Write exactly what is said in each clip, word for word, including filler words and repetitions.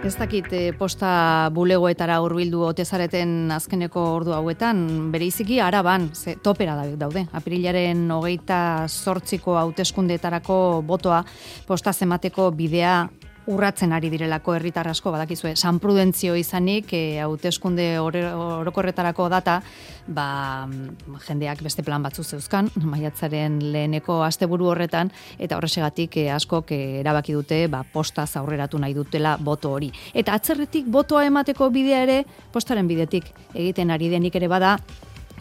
Ez dakit eh, posta bulegoetara hurbildu ote zareten azkeneko ordu hauetan, bereiziki Araban, ze topera daude. Apirilaren hogeita zortziko hauteskundeetarako botoa posta zemateko bidea urratzen ari direlako herritar asko, badakizue, San Prudentzio izanik, e, hauteskunde orokorretarako data, ba, jendeak beste plan batzu zeuzkan, maiatzaren leheneko asteburu horretan, eta horrexegatik e, askok e, erabaki dute, ba, postaz aurreratu nahi dutela boto hori. Eta atzerretik botoa emateko bidea ere, postaren bidetik egiten ari denik ere bada,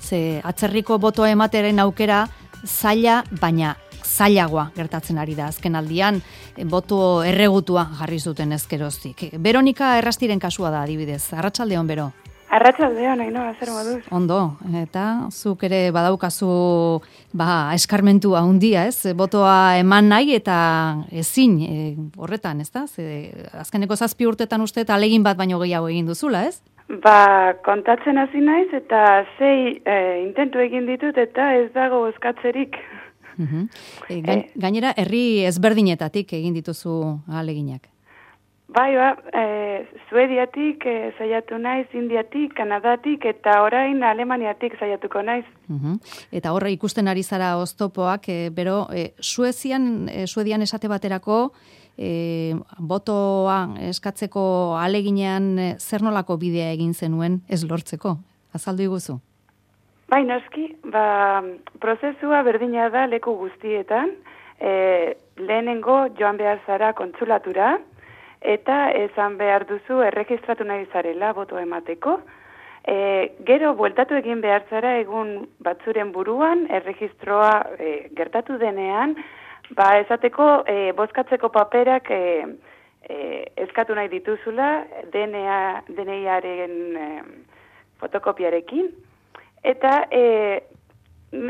ze atzerriko botoa emateren aukera zaila, baina zailagoa gertatzen ari da azken aldian, boto erregutua jarri zuten ezkeroztik. Veronika Errastiren kasua da adibidez. Arratsaldeon, Bero. Arratsaldeon, Ainhoa, zer moduz? Ondo, eta zuk ere badaukazu ba, eskarmentua handia, ez? Botoa eman nahi eta ezin e, horretan, ez da? Ze, azkeneko zazpi urtetan uste eta alegin bat baino gehiago egin duzula, ez? Ba, kontatzen hasi naiz eta sei e, intentu egin ditut eta ez dago bozkatzerik. Uhum. E, gain, gainera, herri ezberdinetatik egin dituzu ahaleginak. Bai, ba, e, Suediatik e, saiatu naiz, Indiatik, Kanadatik eta orain Alemaniatik saiatuko naiz. Uhum. Eta horre ikusten ari zara oztopoak, e, bero, e, Suezian, e, Suedian esate baterako, e, botoa eskatzeko ahaleginean e, zer nolako bidea egin zenuen ez lortzeko? Azaldu iguzu? Bai, noski, ba, prozesua berdina da leku guztietan, e, lehenengo joan behar zara kontsulatura, eta esan behar duzu erregistratu nahi zarela boto emateko. E, gero, bueltatu egin behar zara egun batzuren buruan, erregistroa e, gertatu denean, ba, esateko e, bozkatzeko paperak e, e, eskatu nahi dituzula, D N A-aren e, fotokopiarekin, eta e,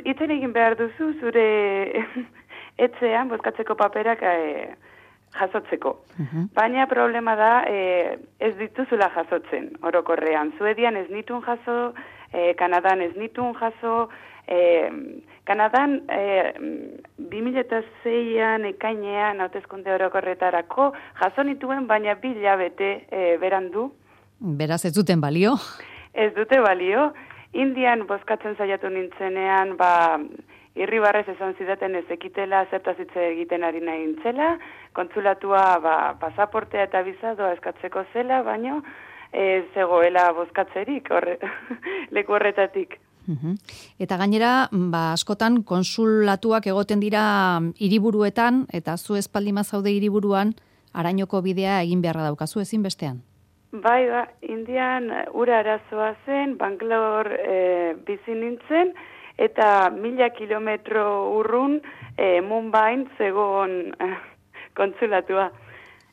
itzen egin behar duzu zure etxean bozkatzeko paperak e, jasotzeko. Uh-huh. Baina problema da e, ez dituzula jasotzen orokorrean. Suedian ez nitun jaso, e, Kanadan ez nitun jaso, e, Kanadan e, bi mila seian ekainean hauteskunde orokorretarako jaso nituen, baina bi hilabete e, berandu. Beraz ez duten balio? Ez dute balio. Indian bozkatzen saiatu nintzenean, ba, irribarrez esan zidaten ez ekitela zertaz hitz egiten ari nahi nintzela, kontsulatua ba, pasaportea eta bizadoa eskatzeko zela, baino ez zegoela bozkatzerik horre, leku horretatik. Uhum. Eta gainera, ba, askotan konsulatuak egoten dira hiriburuetan, eta zu espaldima zaude hiriburuan, arainoko bidea egin beharra daukazu ezin bestean. Bai, ba, Indian ura arazoa zen, Bangalore e, bizi nintzen, eta mila kilometro urrun e, Mumbain zegoen e, kontsulatua.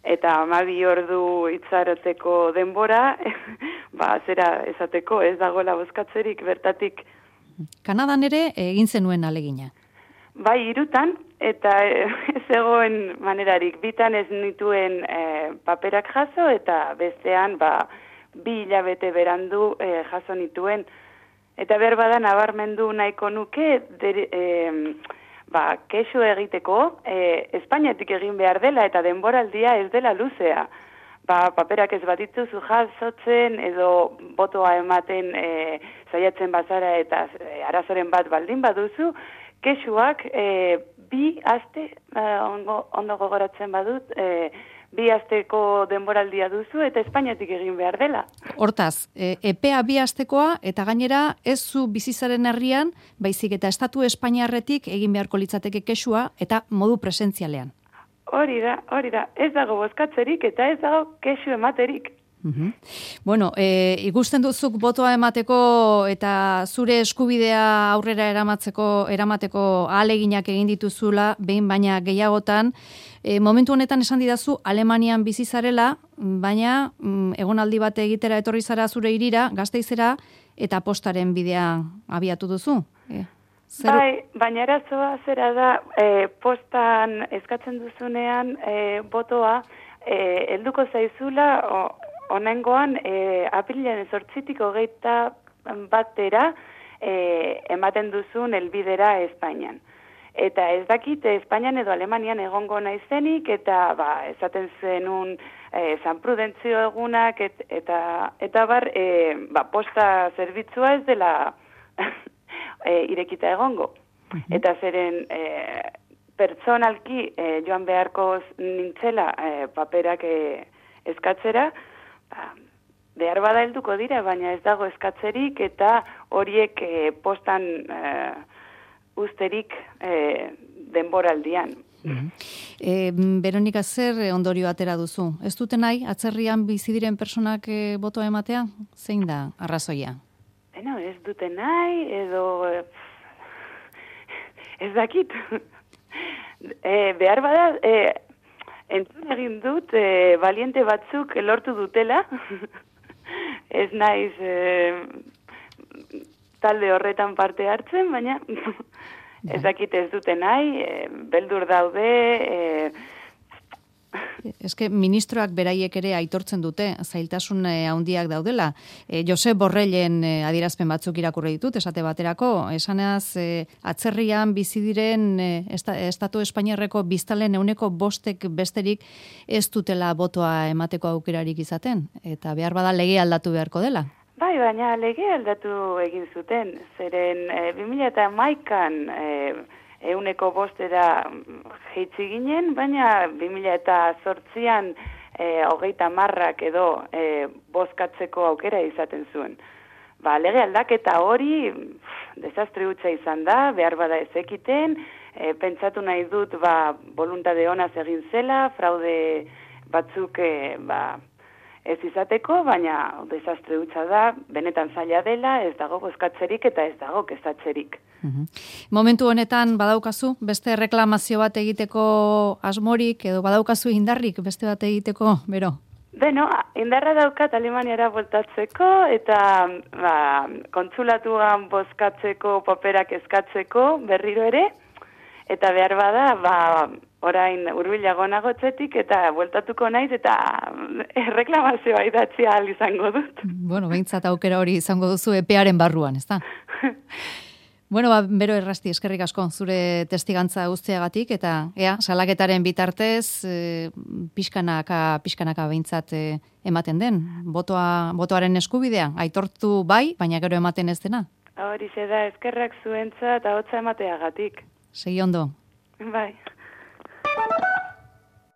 Eta hamabi ordu itxaroteko denbora, ba, zera esateko ez dagoela bozkatzerik bertatik. Kanadan ere egin zenuen alegina. Bai, hirutan, eta ez egoen manerarik. Bitan ez nituen e, paperak jaso, eta bestean ba, bi hilabete berandu e, jaso nituen. Eta berbada nabarmendu nahiko nuke, dere, e, ba, kexu egiteko, e, Espainiatik egin behar dela, eta denboraldia ez dela luzea. Ba, paperak ez bat dituzu jasotzen, edo botoa ematen e, saiatzen bazara, eta e, arazoren bat baldin baduzu, kexuak e, bi aste, e, ondo, ondo gogoratzen badut, e, bi asteko denboraldia duzu eta Espainiatik egin behar dela. Hortaz, e, epea bi astekoa eta gainera ez zu bizizaren herrian, baizik eta estatu Espainiarretik egin beharko litzateke kexua eta modu presentzialean. Hori da, hori da. Ez dago bozkatzerik eta ez dago kexu ematerik. Uhum. Bueno, e, ikusten duzuk botoa emateko eta zure eskubidea aurrera eramatzeko, eramateko ahaleginak egin dituzula, behin baina gehiagotan, e, momentu honetan esan didazu Alemanian bizi zarela, baina mm, egonaldi bat egitera etorri zara zure hirira, Gasteizera, eta postaren bidea abiatu duzu. E, zer... Bai, baina arazoa zera da, e, postan eskatzen duzunean e, botoa e, helduko zaizula, o, honengoan, e, apirilean zortzitik hogeita batera e, ematen duzun helbidera Espainian. Eta ez dakit Espainian edo Alemanian egongo naizenik, eta ba, esaten zenun e, San Prudentzio egunak, et, eta, eta bar, e, ba, posta zerbitzua ez dela e, irekita egongo. Eta zeren e, pertsonalki e, joan beharko nintzela e, paperak e, eskatzera, ba, behar bada helduko dira, baina ez dago eskatzerik, eta horiek e, postan e, usterik e, denboraldian. Mm-hmm. E, Veronika, zer ondorio atera duzu? Ez dute nahi, atzerrian bizi diren personak e, botoa ematea? Zein da arrazoia? Beno, ez dute nahi, edo e, ez dakit. e, behar bada, e, entzun egin dut, e, valiente batzuk lortu dutela, ez naiz e, talde horretan parte hartzen, baina ez dakit ez dute nahi, e, beldur daude. E... Eske ministroak beraiek ere aitortzen dute, zailtasun handiak daudela. E, Josep Borrellen e, adierazpen batzuk irakurri ditut, esate baterako, esanaz e, atzerrian bizi diren e, esta, Estatu Espainiarreko biztalen euneko bostek besterik ez dutela botoa emateko aukerarik izaten, eta behar bada lege aldatu beharko dela. Bai, baina lege aldatu egin zuten, zeren e, bi mila hamaikan e, euneko bostera jeitzi ginen, baina bi mila zortzian e, hogeita marrak edo e, bozkatzeko aukera izaten zuen. Ba, lege aldaketa hori pff, desastre hutsa izan da, behar bada ezekiten, e, pentsatu nahi dut ba, voluntade honaz egin zela, fraude batzuk e, ba, ez izateko, baina desastre hutsa da, benetan zaila dela, ez dago bozkatzerik eta ez dago kezatzerik. Uhum. Momentu honetan badaukazu beste reklamazio bat egiteko asmorik edo badaukazu indarrik beste bat egiteko, bero? Beno, indarra daukat Alemaniara voltatzeko eta ba, kontsulatuan bozkatzeko paperak eskatzeko berriro ere, eta behar bada, ba, orain hurbilago nagotzetik eta bueltatuko naiz eta reklamazioa idatzi ahal izango dut. Bueno, behintzat aukera hori izango duzu epearen barruan, ezta? Bueno, ba, Bero Errasti, eskerrik asko zure testigantza guztiagatik eta ea, salaketaren bitartez e, pixkanaka, pixkanaka behintzat e, ematen den. Botoa, botoaren eskubidea, aitortu bai, baina gero ematen ez dena. Horixe da, eskerrak zuentza eta hotza emateagatik. Segi ondo. Bai.